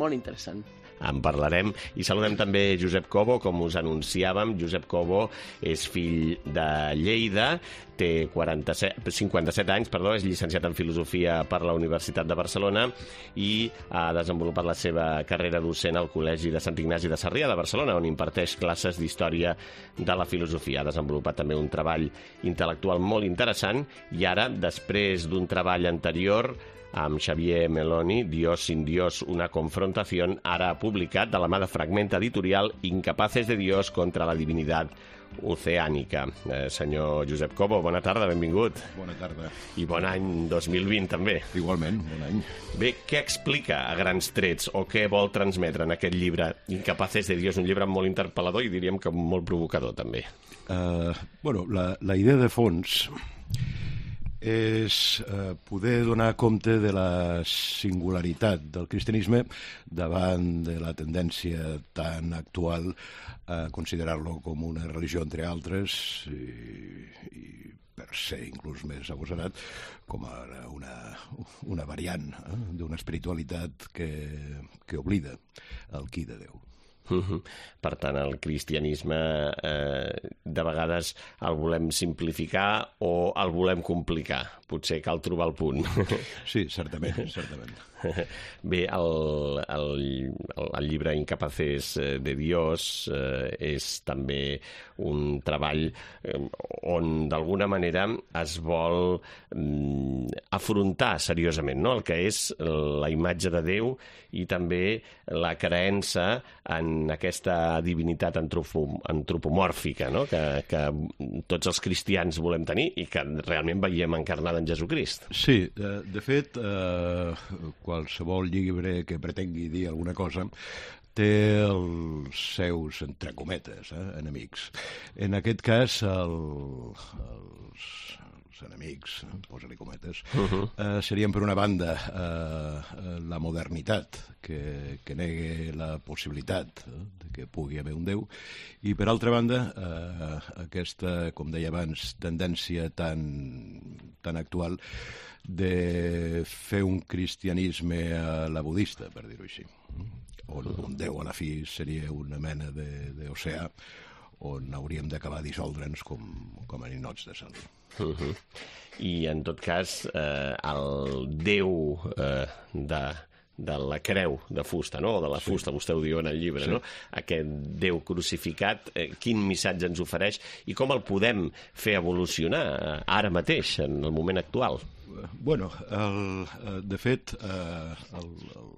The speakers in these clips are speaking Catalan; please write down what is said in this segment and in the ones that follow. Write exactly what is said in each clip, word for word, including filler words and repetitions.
molt interessant. En parlarem. I saludem també Josep Cobo, com us anunciàvem. Josep Cobo és fill de Lleida, té quaranta-set, cinquanta-set anys, perdó, és llicenciat en Filosofia per la Universitat de Barcelona i ha desenvolupat la seva carrera docent al Col·legi de Sant Ignasi de Sarrià de Barcelona, on imparteix classes d'Història de la Filosofia. Ha desenvolupat també un treball intel·lectual molt interessant i ara, després d'un treball anterior amb Xavier Meloni, Dios sin Dios, una confrontación, ara ha publicat de la mà de Fragment Editorial Incapaces de Dios contra la Divinidad Oceànica. Eh, senyor Josep Cobo, bona tarda, benvingut. Bona tarda. I bon any dos mil vint, també. Igualment, bon any. Bé, què explica a grans trets o què vol transmetre en aquest llibre Incapaces de Dios, un llibre molt interpel·lador i diríem que molt provocador, també? Uh, bueno, la, la idea de fons és eh, poder donar compte de la singularitat del cristianisme davant de la tendència tan actual a considerar-lo com una religió entre altres i, i per ser inclús més agosarat com a una, una variant eh, d'una espiritualitat que, que oblida el qui de Déu. Uh-huh. Per tant, el cristianisme eh, de vegades el volem simplificar o el volem complicar. Potser cal trobar el punt. Sí, certament, certament. Bé, el, el, el llibre Incapaces de Dios eh, és també un treball eh, on d'alguna manera es vol mm, afrontar seriosament, no?, el que és la imatge de Déu i també la creença en aquesta divinitat antropom antropomòrfica, no?, que, que tots els cristians volem tenir i que realment veiem encarnada en Jesucrist. Sí, de, de fet, eh, qualsevol llibre que pretengui dir alguna cosa té els seus, entre cometes, eh, enemics. En aquest cas, el, els, els enemics, posa-li cometes, uh-huh. eh, serien, per una banda, eh, la modernitat, que, que negue la possibilitat eh, de que pugui haver un Déu, i, per altra banda, eh, aquesta, com deia abans, tendència tan, tan actual de fer un cristianisme a la budista, per dir-ho així, on un Déu a la fi seria una mena d'oceà on hauríem d'acabar dissoldre'ns com, com a ninots de sal. Uh-huh. I, en tot cas, eh, el Déu eh, de... de la creu de fusta, no?, o de la fusta, sí. Vostè ho diu en el llibre, sí. No? Aquest Déu crucificat, eh, quin missatge ens ofereix i com el podem fer evolucionar eh, ara mateix, en el moment actual? Bueno, el, de fet, eh, el, el,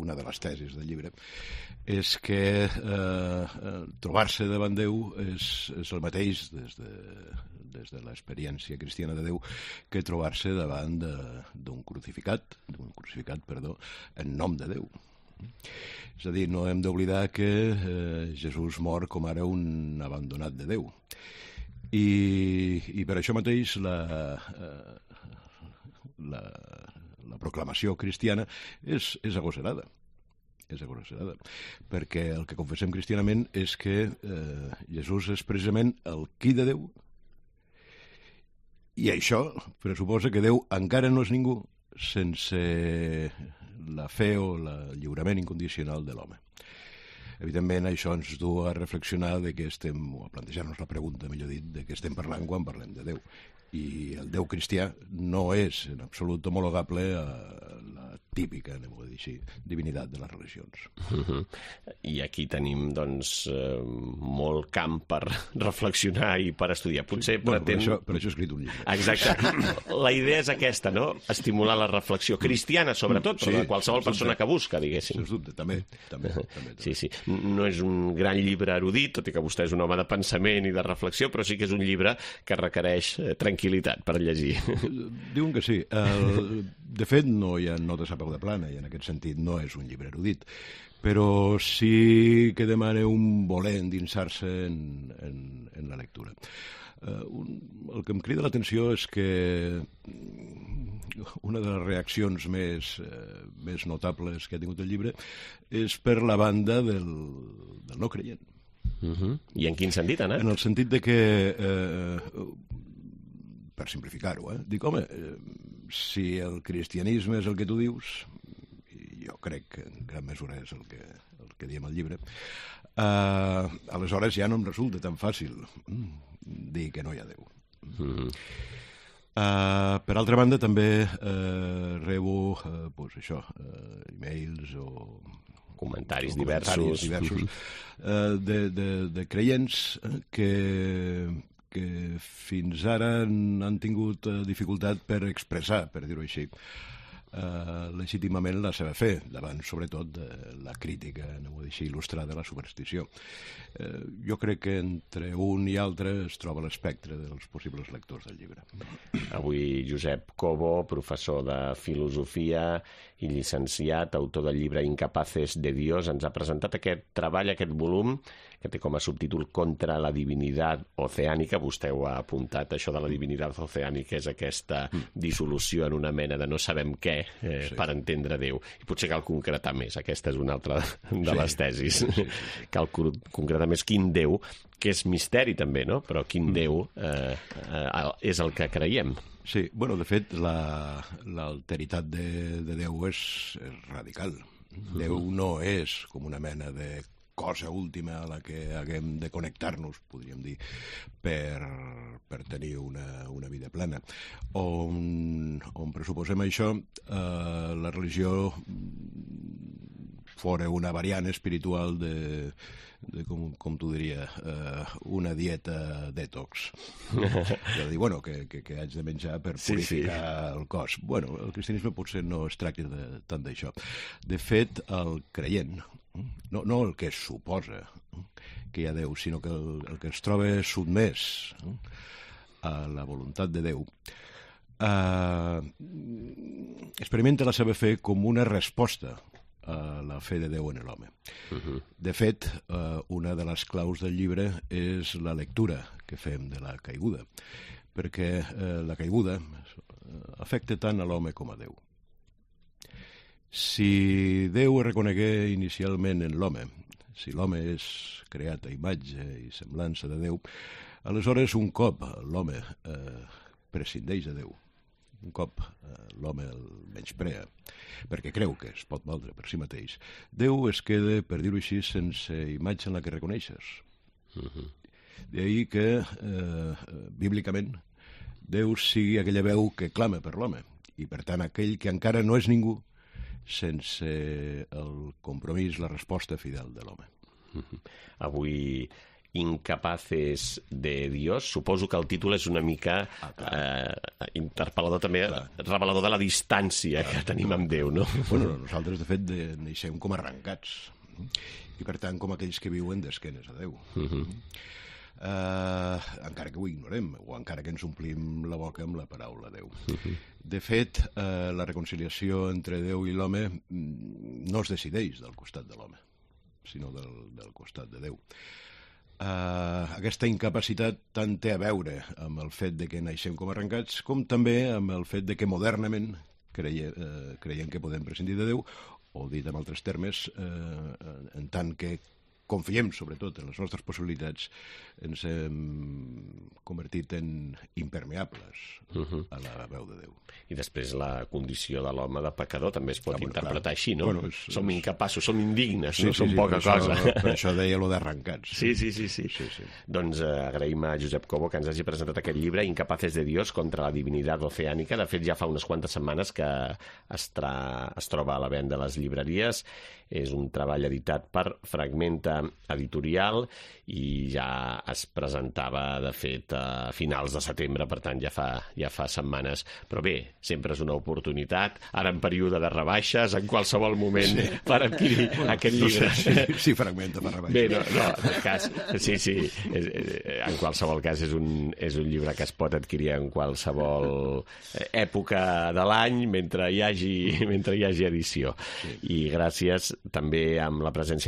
una de les tesis del llibre és que eh, trobar-se davant Déu és, és el mateix des de, des de l'experiència cristiana de Déu que trobar-se davant d'un crucificat, d'un crucificat, perdó, en nom de Déu. És a dir, no hem d'oblidar que eh, Jesús mor com ara un abandonat de Déu. I, i per això mateix la, eh, la, la proclamació cristiana és, és agosarada. És agosarada. Perquè el que confessem cristianament és que eh, Jesús és precisament el qui de Déu, i això pressuposa que Déu encara no és ningú sense la fe o el lliurament incondicional de l'home. Evidentment, això ens du a reflexionar de què estem, o a plantejar-nos la pregunta, millor dit, de què estem parlant quan parlem de Déu. I el Déu cristià no és en absolut homologable a la típica, anem a dir així, divinitat de les religions. Uh-huh. I aquí tenim, doncs, eh, molt camp per reflexionar i per estudiar. Potser sí, bueno, pretén... per, això, per això he escrit un llibre. Exacte. La idea és aquesta, no?, estimular la reflexió cristiana, sobretot, però sí, de qualsevol persona que busca, diguéssim. Sens dubte, també. també, també, també. Sí, sí. No és un gran llibre erudit, tot i que vostè és un home de pensament i de reflexió, però sí que és un llibre que requereix eh, tranquil·litat per llegir. Diuen que sí. El, de fet, no hi ha notes a peu de plana, i en aquest sentit no és un llibre erudit, però sí que demana un voler endinsar-se en, en, en la lectura. Uh, un, el que em crida l'atenció és que una de les reaccions més, uh, més notables que ha tingut el llibre és per la banda del, del no creient. Uh-huh. I en quin sentit, Anna? En el sentit de que, eh, per simplificar-ho, eh, dic, home, eh, si el cristianisme és el que tu dius, jo crec que en gran mesura és el que, el que diem al llibre, uh, aleshores ja no em resulta tan fàcil dir que no hi ha Déu. Mm-hmm. Uh, per altra banda, també uh, rebo uh, pues això, uh, e-mails o comentaris o diversos, diversos uh, de, de, de creients que, que fins ara han, han tingut uh, dificultat per expressar, per dir-ho així, Uh, legítimament la seva fe, davant sobretot de la crítica, no vull dir així, il·lustrada de la superstició. Uh, jo crec que entre un i altre es troba l'espectre dels possibles lectors del llibre. Avui Josep Cobo, professor de filosofia i llicenciat, autor del llibre Incapaces de Dios, ens ha presentat aquest treball, aquest volum, que té com a subtítol Contra la divinitat oceànica. Vostè ho ha apuntat, això de la divinitat oceànica és aquesta dissolució en una mena de no sabem què eh, sí. per entendre Déu. I potser cal concretar més, aquesta és una altra de sí. les tesis. Sí, sí, sí. Cal concretar més quin Déu, que és misteri també, no? Però quin mm. Déu eh, eh, és el que creiem. Sí, bueno, de fet, la, l'alteritat de, de Déu és, és radical. Mm-hmm. Déu no és com una mena de cosa última a la que haguem de connectar-nos, podríem dir, per, per tenir una, una vida plena. On, on pressuposem això, eh, la religió fora una variant espiritual de, de com, com t'ho diria, eh, una dieta detox. De dir, bueno, que, que, que haig de menjar per purificar sí, sí. el cos. Bueno, el cristianisme potser no es tracta de, tant d'això. De fet, el creient, no, no el que es suposa que hi ha Déu, sinó que el, el que es troba sotmès a la voluntat de Déu, eh, experimenta la seva fe com una resposta a la fe de Déu en l'home. Uh-huh. De fet, eh, una de les claus del llibre és la lectura que fem de la caiguda, perquè eh, la caiguda afecta tant a l'home com a Déu. Si Déu es reconegué inicialment en l'home, si l'home és creat a imatge i semblança de Déu, aleshores un cop l'home eh, prescindeix de Déu, un cop eh, l'home el menysprea, perquè creu que es pot valdre per si mateix, Déu es queda, per dir-ho així, sense imatge en la que reconeixes. Uh-huh. D'ahir que, eh, bíblicament, Déu sigui aquella veu que clama per l'home, i per tant aquell que encara no és ningú, sense el compromís, la resposta fidel de l'home. Uh-huh. Avui, Incapaces de Dios, suposo que el títol és una mica ah, eh, interpel·lador també, clar. Revelador de la distància clar, que tenim amb Déu, no? Bueno, nosaltres, de fet, de, neixem com arrencats, i per tant com aquells que viuen d'esquenes a Déu. Uh-huh. Uh, encara que ho ignorem, o encara que ens omplim la boca amb la paraula Déu. Uh-huh. De fet, uh, la reconciliació entre Déu i l'home no es decideix del costat de l'home, sinó del, del costat de Déu. Uh, aquesta incapacitat tant té a veure amb el fet de que naixem com arrencats, com també amb el fet de que modernament creie, uh, creiem que podem prescindir de Déu, o dit en altres termes, uh, en tant que confiem, sobretot, en les nostres possibilitats, ens hem convertit en impermeables uh-huh. a la veu de Déu. I després la condició de l'home de pecador també es pot ah, bueno, interpretar clar. Així, no? Bueno, és, som incapaços, som indignes, sí, no sí, som sí, poca per cosa. Això, per això deia lo d'arrencats. Sí, sí, sí. sí. sí, sí. Doncs eh, agraïm a Josep Cobo que ens hagi presentat aquest llibre, Incapaces de Dios, contra la divinitat oceànica. De fet, ja fa unes quantes setmanes que es, tra... es troba a la venda a les llibreries. És un treball editat per Fragmenta Editorial i ja es presentava, de fet, a finals de setembre, per tant, ja fa, ja fa setmanes. Però bé, sempre és una oportunitat, ara en període de rebaixes, en qualsevol moment, sí. per adquirir bueno, aquest llibre. No sé, sí, sí, Fragmenta per rebaixes. Bé, no, no, en cas, sí, sí, en qualsevol cas és un, és un llibre que es pot adquirir en qualsevol època de l'any mentre hi hagi, mentre hi hagi edició. Sí. I gràcies també amb la presència